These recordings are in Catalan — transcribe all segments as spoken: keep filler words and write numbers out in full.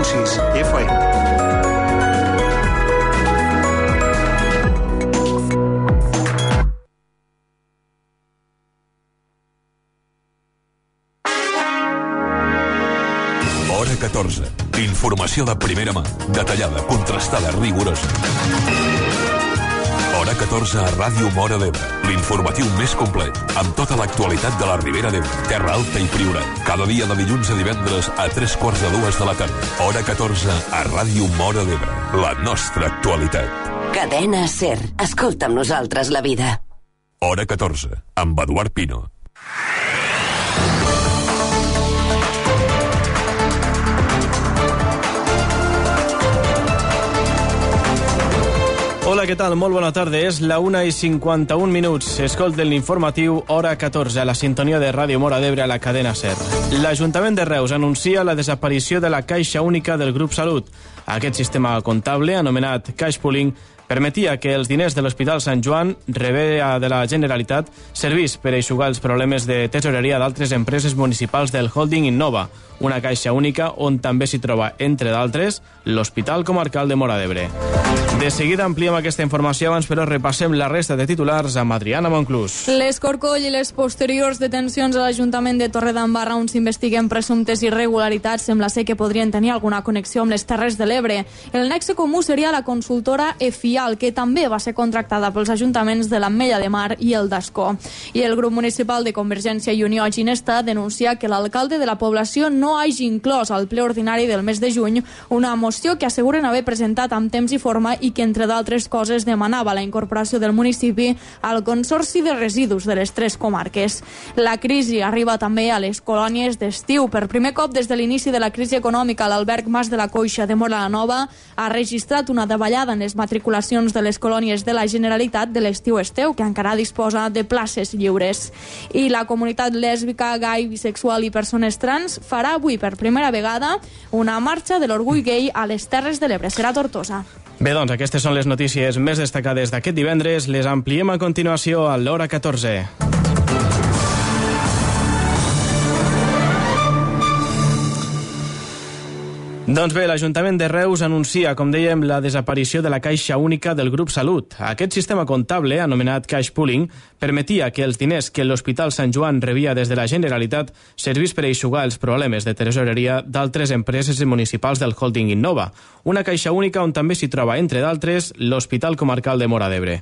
punt sis F M. Hora catorze. Informació de primera mà, detallada, contrastada, rigorosa. Hora catorze a Ràdio Móra d'Ebre, l'informatiu més complet, amb tota l'actualitat de la Ribera d'Ebre, Terra Alta i Priorat. Cada dia de dilluns a divendres a tres quarts de dues de la tarda. Hora catorze a Ràdio Móra d'Ebre, la nostra actualitat. Cadena SER. Escolta amb nosaltres la vida. Hora catorze, amb Eduard Pino. Hola, què tal? Molt bona tarda. És la una i cinquanta-un minuts. Escolten l'informatiu Hora catorze a la sintonia de Ràdio Móra d'Ebre a la cadena SER. L'Ajuntament de Reus anuncia la desaparició de la Caixa Única del Grup Salut. Aquest sistema comptable, anomenat Cash Pooling, permetia que els diners de l'Hospital Sant Joan, rebé de la Generalitat, servís per eixugar els problemes de tesoreria d'altres empreses municipals del holding Innova, una caixa única on també s'hi troba, entre d'altres, l'Hospital Comarcal de Móra d'Ebre. De seguida ampliem aquesta informació, abans però repassem la resta de titulars amb Adriana Monclús. L'Escorcoll i les posteriors detencions a l'Ajuntament de Torredembarra on s'investiguen presumptes irregularitats sembla ser que podrien tenir alguna connexió amb les Terres de l'Ebre. El nexe comú seria la consultora EFIAL, que també va ser contractada pels ajuntaments de l'Ametlla de Mar i el d'Ascó. I el grup municipal de Convergència i Unió a Ginesta denuncia que l'alcalde de la població no hagi inclòs al ple ordinari del mes de juny una moció que asseguren haver presentat amb temps i forma i que, entre d'altres coses, demanava la incorporació del municipi al Consorci de Residus de les tres comarques. La crisi arriba també a les colònies d'estiu. Per primer cop des de l'inici de la crisi econòmica, l'alberg Mas de la Coixa de Móra la Nova ha registrat una davallada en les matriculacions de les colònies de la Generalitat de l'estiu-esteu, que encara disposa de places lliures. I la comunitat lèsbica, gai, bisexual i persones trans farà avui per primera vegada una marxa de l'orgull gai a les Terres de l'Ebre. Serà a Tortosa. Bé, doncs, aquestes són les notícies més destacades d'aquest divendres. Les ampliem a continuació a l'Hora catorze. Doncs bé, l'Ajuntament de Reus anuncia, com dèiem, la desaparició de la Caixa Única del Grup Salut. Aquest sistema comptable, anomenat Cash Pooling, permetia que els diners que l'Hospital Sant Joan rebia des de la Generalitat servís per eixugar els problemes de tesoreria d'altres empreses municipals del holding Innova, una caixa única on també s'hi troba, entre d'altres, l'Hospital Comarcal de Móra d'Ebre.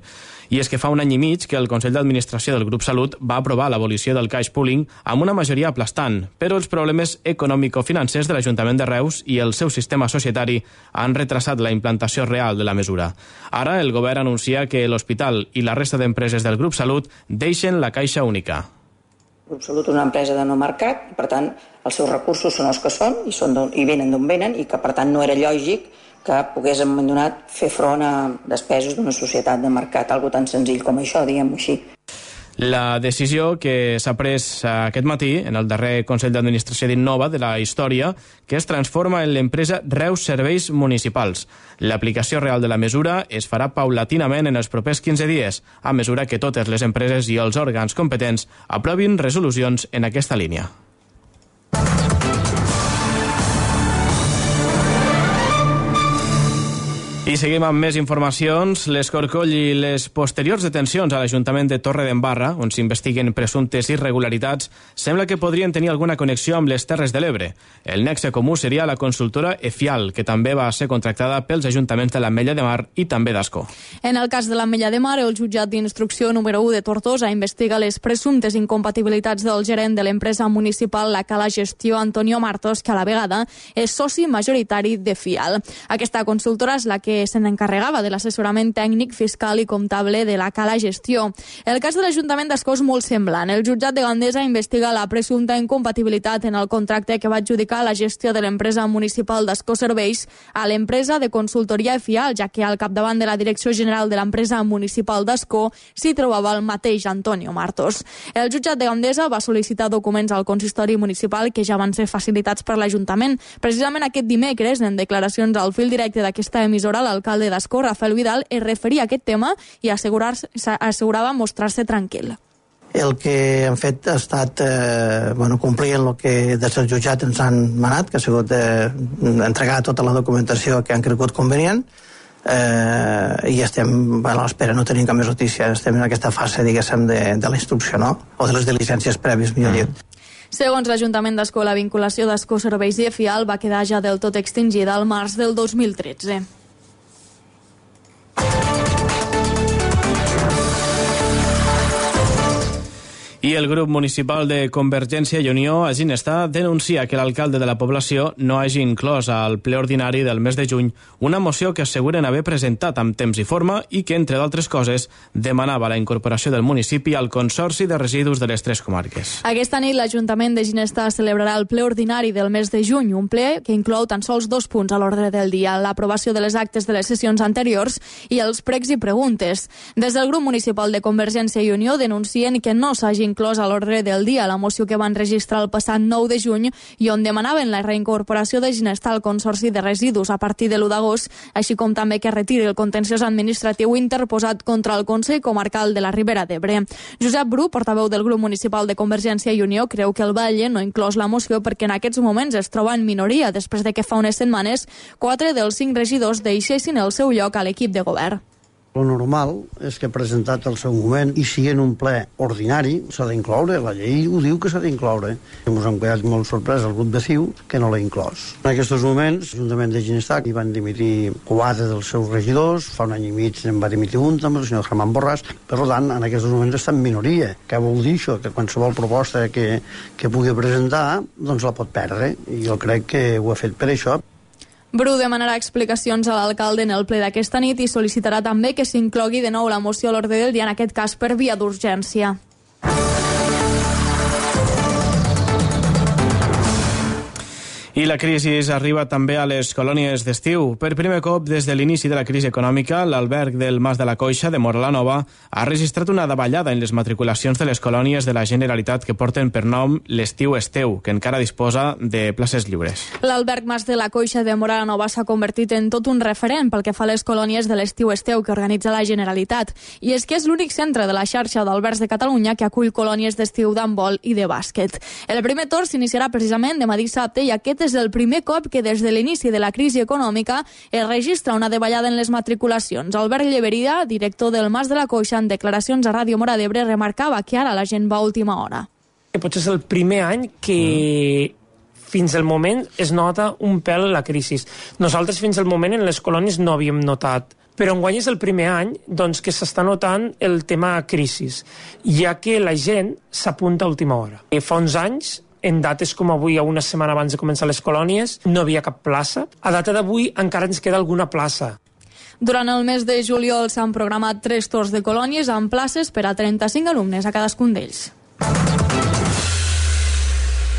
I és que fa un any i mig que el Consell d'Administració del Grup Salut va aprovar l'abolició del cash pooling amb una majoria aplastant, però els problemes econòmico-financers de l'Ajuntament de Reus i el seu sistema societari han retrasat la implantació real de la mesura. Ara el govern anuncia que l'hospital i la resta d'empreses del Grup Salut deixen la caixa única. El Grup Salut és una empresa de no mercat, per tant, els seus recursos són els que són i, són i venen d'on venen, i que, per tant, no era lògic que pogués en un moment donat fer front a despeses d'una societat de mercat, algo tan senzill com això, diguem-ho així. La decisió que s'ha pres aquest matí en el darrer Consell d'Administració d'Innova de la història, que es transforma en l'empresa Reus Serveis Municipals. L'aplicació real de la mesura es farà paulatinament en els propers quinze dies, a mesura que totes les empreses i els òrgans competents aprovin resolucions en aquesta línia. I seguim amb més informacions. L'Escorcoll i les posteriors detencions a l'Ajuntament de Torredembarra, on s'investiguen presumptes irregularitats, sembla que podrien tenir alguna connexió amb les Terres de l'Ebre. El nexe comú seria la consultora EFIAL, que també va ser contractada pels ajuntaments de l'Ametlla de Mar i també d'Ascó. En el cas de l'Ametlla de Mar, el jutjat d'instrucció número u de Tortosa investiga les presumptes incompatibilitats del gerent de l'empresa municipal La Cala Gestió, Antonio Martos, que a la vegada és soci majoritari d'EFIAL. Aquesta consultora és la que se n'encarregava de l'assessorament tècnic, fiscal i comptable de la Cala Gestió. El cas de l'Ajuntament d'Ascó és molt semblant. El jutjat de Gandesa investiga la presumpta incompatibilitat en el contracte que va adjudicar la gestió de l'empresa municipal d'Ascó Serveis a l'empresa de consultoria EFIAL, ja que al capdavant de la Direcció General de l'empresa municipal d'Ascó s'hi trobava el mateix Antonio Martos. El jutjat de Gandesa va sol·licitar documents al consistori municipal que ja van ser facilitats per l'Ajuntament. Precisament aquest dimecres, en declaracions al fil directe d'aquesta emissora, l'alcalde d'Ascó, Rafael Vidal, es referia a aquest tema i assegurava mostrar-se tranquil. el que han fet ha estat eh, bueno, complir el que des del jutjat ens han manat, que ha sigut eh, entregar tota la documentació que han cregut convenient, eh, i estem a l'espera, no tenim cap més notícia, estem en aquesta fase, diguéssim, de, de la instrucció, no? O de les diligències prèvies, millor dit. Segons l'Ajuntament d'Ascó, la vinculació d'Ascó Serveis i Efial va quedar ja del tot extingida al març del dos mil tretze. I el grup municipal de Convergència i Unió a Ginestar denuncia que l'alcalde de la població no hagi inclòs al ple ordinari del mes de juny una moció que asseguren haver presentat amb temps i forma i que, entre d'altres coses, demanava la incorporació del municipi al Consorci de Residus de les tres comarques. Aquesta nit l'Ajuntament de Ginestar celebrarà el ple ordinari del mes de juny, un ple que inclou tan sols dos punts a l'ordre del dia, l'aprovació de les actes de les sessions anteriors i els pregs i preguntes. Des del grup municipal de Convergència i Unió denuncien que no s'hagi inclòs a l'ordre del dia la moció que van registrar el passat nou de juny i on demanaven la reincorporació de Ginestar al Consorci de Residus a partir de l'u d'agost, així com també que retiri el contenciós administratiu interposat contra el Consell Comarcal de la Ribera d'Ebre. Josep Bru, portaveu del grup municipal de Convergència i Unió, creu que el Valle no ha inclòs la moció perquè en aquests moments es troba en minoria després de que fa unes setmanes quatre dels cinc regidors deixessin el seu lloc a l'equip de govern. Lo normal és que presentat al seu moment i si en un ple ordinari s'ha d'incloure, la llei ho diu que s'ha d'incloure. Ens hem quedat molt sorprès al grup de C I U que no l'ha inclòs. En aquests moments, l'Ajuntament de Ginestar hi van dimitir quatre dels seus regidors, fa un any i mig en va dimitir un també, el senyor Germán Borràs, per tant, en aquests moments està en minoria. Què vol dir això? Que qualsevol proposta que, que pugui presentar, doncs la pot perdre. I jo crec que ho ha fet per això. Bru demanarà explicacions a l'alcalde en el ple d'aquesta nit i sol·licitarà també que s'inclogui de nou la moció a l'ordre del dia, en aquest cas per via d'urgència. I la crisi arriba també a les colònies d'estiu. Per primer cop des de l'inici de la crisi econòmica, l'alberg del Mas de la Coixa de Móra la Nova ha registrat una davallada en les matriculacions de les colònies de la Generalitat que porten per nom l'Estiu Esteu, que encara disposa de places lliures. L'alberg Mas de la Coixa de Móra la Nova s'ha convertit en tot un referent pel que fa a les colònies de l'Estiu Esteu que organitza la Generalitat. I és que és l'únic centre de la xarxa d'albergs de Catalunya que acull colònies d'estiu d'handbol i de bàsquet. El primer torn s'iniciarà precisament demà dissabte i aquest és el primer cop que des de l'inici de la crisi econòmica es registra una davallada en les matriculacions. Albert Lleberia, director del Mas de la Coixa, en declaracions a Ràdio Móra d'Ebre, remarcava que ara la gent va a última hora. Potser és el primer any que fins al moment es nota un pèl la crisi. Nosaltres fins al moment en les colònies no havíem notat, però enguany és el primer any doncs, que s'està notant el tema crisi, ja que la gent s'apunta a última hora. Fa uns anys, en dates com avui, a una setmana abans de començar les colònies, no havia cap plaça. A data d'avui encara ens queda alguna plaça. Durant el mes de juliol s'han programat tres torns de colònies amb places per a trenta-cinc alumnes a cadascun d'ells.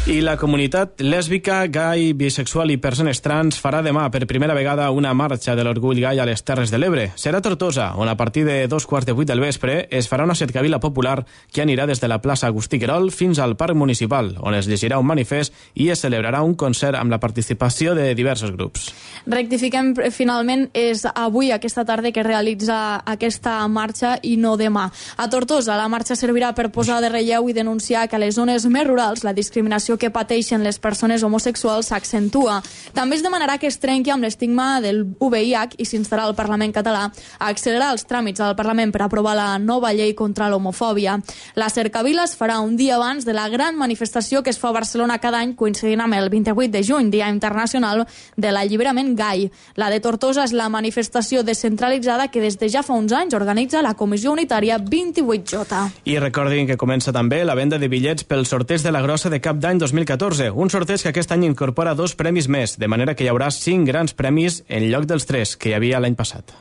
I la comunitat lèsbica, gai, bisexual i persones trans farà demà per primera vegada una marxa de l'orgull gai a les Terres de l'Ebre. Serà a Tortosa, on a partir de dos quarts de vuit del vespre es farà una cercavila popular que anirà des de la plaça Agustí Querol fins al Parc Municipal, on es llegirà un manifest i es celebrarà un concert amb la participació de diversos grups. Rectifiquem, finalment, és avui, aquesta tarda, que realitza aquesta marxa i no demà. A Tortosa, la marxa servirà per posar de relleu i denunciar que a les zones més rurals la discriminació que pateixen les persones homosexuals s'accentua. També es demanarà que es trenqui amb l'estigma del U V I H i s'instarà al Parlament català a accelerar els tràmits al Parlament per aprovar la nova llei contra l'homofòbia. La cercavila es farà un dia abans de la gran manifestació que es fa a Barcelona cada any, coincidint amb el vint-i-vuit de juny, Dia Internacional de l'Alliberament Gai. La de Tortosa és la manifestació descentralitzada que des de ja fa uns anys organitza la Comissió Unitària vint-i-vuit J. I recordin que comença també la venda de bitllets pel sorteig de la Grossa de Cap d'Any dos mil catorze, un sorteig que aquest any incorpora dos premis més, de manera que hi haurà cinc grans premis en lloc dels tres que hi havia l'any passat.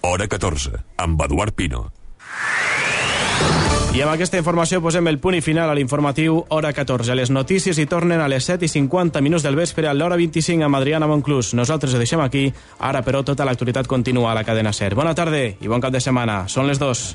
Hora catorze, amb Eduard Pino. I amb aquesta informació posem el punt i final a l'informatiu Hora catorze. Les notícies hi tornen a les set i cinquanta minuts del vespre a l'hora vint-i-cinc amb Adriana Monclús. Nosaltres ho deixem aquí, ara però tota l'actualitat continua a la cadena SER. Bona tarda i bon cap de setmana. Són les dos.